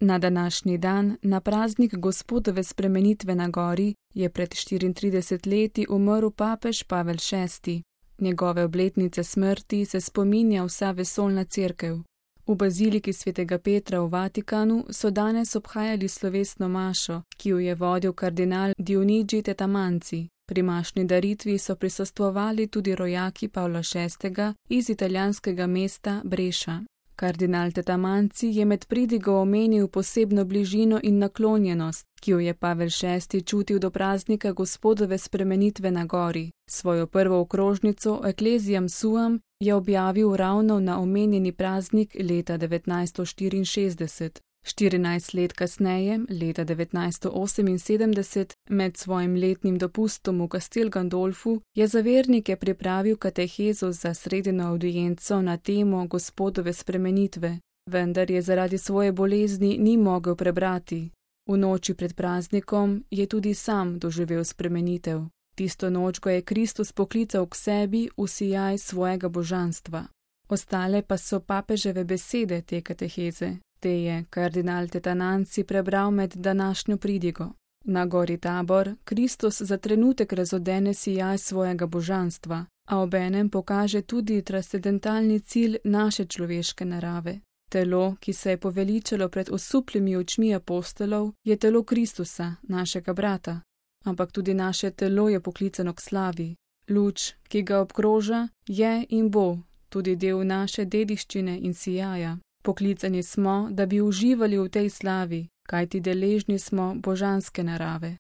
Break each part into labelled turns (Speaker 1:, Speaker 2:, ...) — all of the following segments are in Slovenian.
Speaker 1: Na današnji dan, na praznik Gospodove spremenitve na gori, je pred 34 leti umrl papež Pavel VI. Njegove obletnice smrti se spominja vsa vesoljna cerkev. V baziliki svetega Petra v Vatikanu so danes obhajali slovesno mašo, ki jo je vodil kardinal Dionigi Tetamanzi. Pri mašni daritvi so prisostvovali tudi rojaki Pavla VI. Iz italijanskega mesta Breša. Kardinal Tetamanzi je med pridigo omenil posebno bližino in naklonjenost, ki jo je Pavel VI. Čutil do praznika Gospodove spremenitve na gori. Svojo prvo okrožnico Ecclesiam Suam je objavil ravno na omenjeni praznik leta 1964. 14 let kasneje, leta 1978, med svojim letnim dopustom v Castel Gandolfu, je za vernike pripravil katehezo za sredino avdienco na temo Gospodove spremenitve, vendar je zaradi svoje bolezni ni mogel prebrati. V noči pred praznikom je tudi sam doživel spremenitev. Tisto noč ga je Kristus poklical k sebi v sijaj svojega božanstva. Ostale pa so papeževe besede te kateheze. Te je kardinal Tetamanzi prebral med današnjo pridigo. Na gori Tabor Kristus za trenutek razodene sijaj svojega božanstva, a obenem pokaže tudi transcendentalni cilj naše človeške narave. Telo, ki se je poveličalo pred osupljimi očmi apostolov, je telo Kristusa, našega brata. Ampak tudi naše telo je poklicano k slavi. Luč, ki ga obkroža, je in bo tudi del naše dediščine in sijaja. Poklicani smo, da bi uživali v tej slavi, kajti deležni smo božanske narave.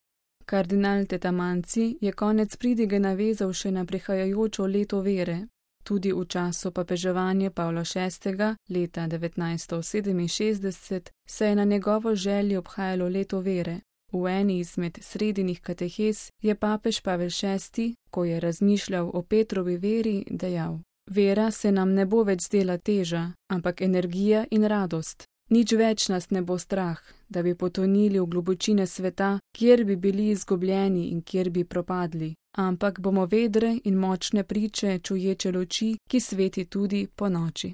Speaker 1: Kardinal Tetamanzi je konec pridige navezal še na prihajajočo leto vere. Tudi v času papeževanja Pavla VI. Leta 1967 se je na njegovo željo obhajalo leto vere. V eni izmed sredinih katehez je papež Pavel VI., ko je razmišljal o Petrovi veri, dejal: Vera se nam ne bo več zdela teža, ampak energija in radost. Nič več nas ne bo strah, da bi potonili v globočine sveta, kjer bi bili izgubljeni in kjer bi propadli, ampak bomo vedre in močne priče čuječe luči, ki sveti tudi po noči.